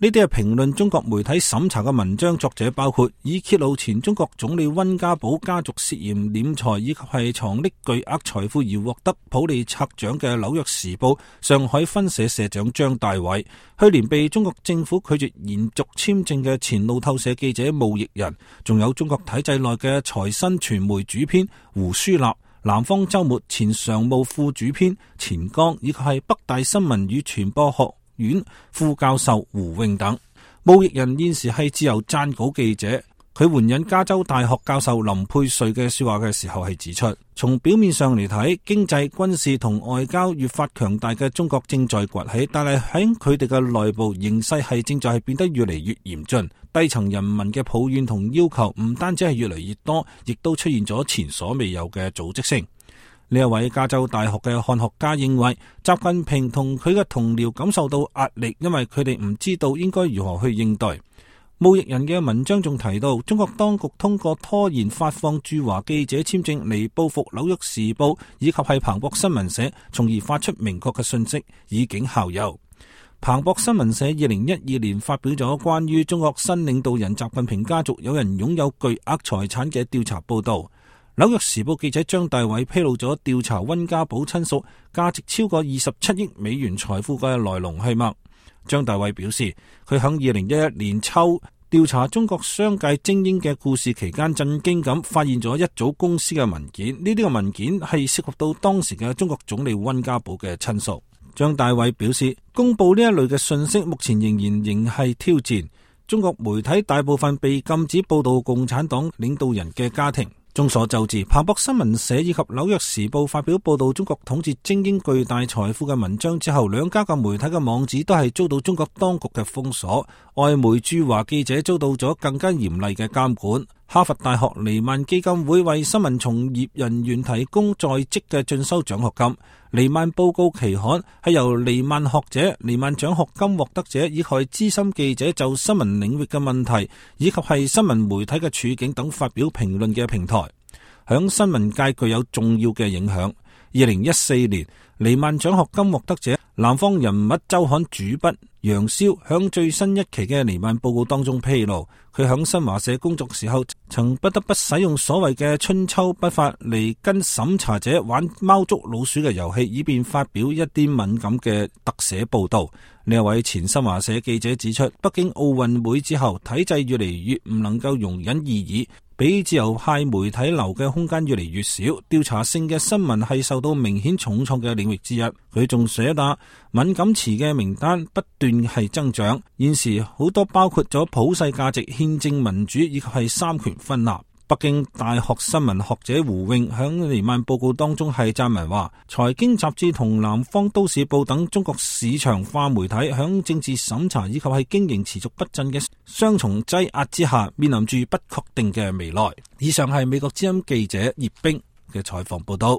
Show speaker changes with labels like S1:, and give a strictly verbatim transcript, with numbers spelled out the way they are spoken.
S1: 呢啲係評論中國媒體審查嘅文章作者包括以揭露前中國總理溫家寶家族涉嫌斂財以及係藏匿巨額財富而獲得普利策獎嘅紐約時報上海分社社長張大偉，去年被中國政府拒絕延續簽證嘅前路透社記者毛奕人，仲有中國體制內嘅財新傳媒主編胡舒立、南方周末前常務副主編錢剛，以及係北大新聞與傳播學院副教授胡穎等。毛奕人現時係自由撰稿記者，佢援引加州大學教授林佩瑞嘅說話嘅時候係指出，從表面上嚟睇，經濟、軍事同外交越發強大嘅中國正在崛起，但係喺佢哋嘅內部形勢係正在係變得越嚟越嚴峻，低層人民嘅抱怨同要求唔單止係越嚟越多，亦都出現咗前所未有嘅組織性。呢一位加州大學嘅漢學家認為，習近平同佢嘅同僚感受到壓力，因為佢哋唔知道應該如何去應對。毛奕人嘅文章仲提到，中國當局通過拖延發放駐華記者簽證嚟報復紐約時報以及係彭博新聞社，從而發出明確嘅信息，以儆效尤。彭博新聞社二零一二年發表咗關於中國新領導人習近平家族有人擁有巨額財產嘅調查報道。紐約時報記者張大偉披露咗調查溫家寶親屬價值超過二十七億美元財富嘅來龍去脈。張大偉表示，佢喺二零一一年秋調查中國商界精英嘅故事期間，震驚咁發現咗一組公司嘅文件，呢啲嘅文件係涉及到當時嘅中國總理溫家寶嘅親屬。張大偉表示，公布呢一類嘅信息目前仍然仍係挑戰。中國媒體大部分被禁止報道共產黨領導人嘅家庭。眾所周知，彭博新聞社以及紐約時報發表報道中國統治精英巨大財富嘅文章之後，兩家嘅媒體嘅網址都係遭到中國當局嘅封鎖，外媒駐華記者遭到咗更加嚴厲嘅監管。哈佛大學尼曼基金會為新聞從業人員提供在職嘅進修獎學金。尼曼報告期刊係由尼曼學者、尼曼獎學金獲得者以及資深記者就新聞領域嘅問題以及係新聞媒體嘅處境等發表評論嘅平台，響新聞界具有重要嘅影響。二零一四年，尼曼獎學金獲得者南方人物周刊主筆楊瀟響最新一期嘅尼曼報告當中披露，佢響新華社工作時候曾不得不使用所謂嘅春秋筆法嚟跟審查者玩貓捉老鼠嘅遊戲，以便發表一啲敏感嘅特寫報道。呢一位前新華社記者指出，北京奧運會之後，體制越嚟越唔能夠容忍異議，俾自由派媒體留嘅空間越嚟越少，調查性嘅新聞係受到明顯重創嘅領域之一。佢仲寫打敏感詞嘅名單不斷係增長，現時好多包括咗普世價值、憲政民主以及係三權分立。北京大學新聞學者胡穎響尼曼報告當中係撰文話，財經雜誌同南方都市報等中國市場化媒體響政治審查以及係經營持續不振嘅雙重擠壓之下，面臨住不確定嘅未來。以上係美國之音記者葉冰嘅採訪報道。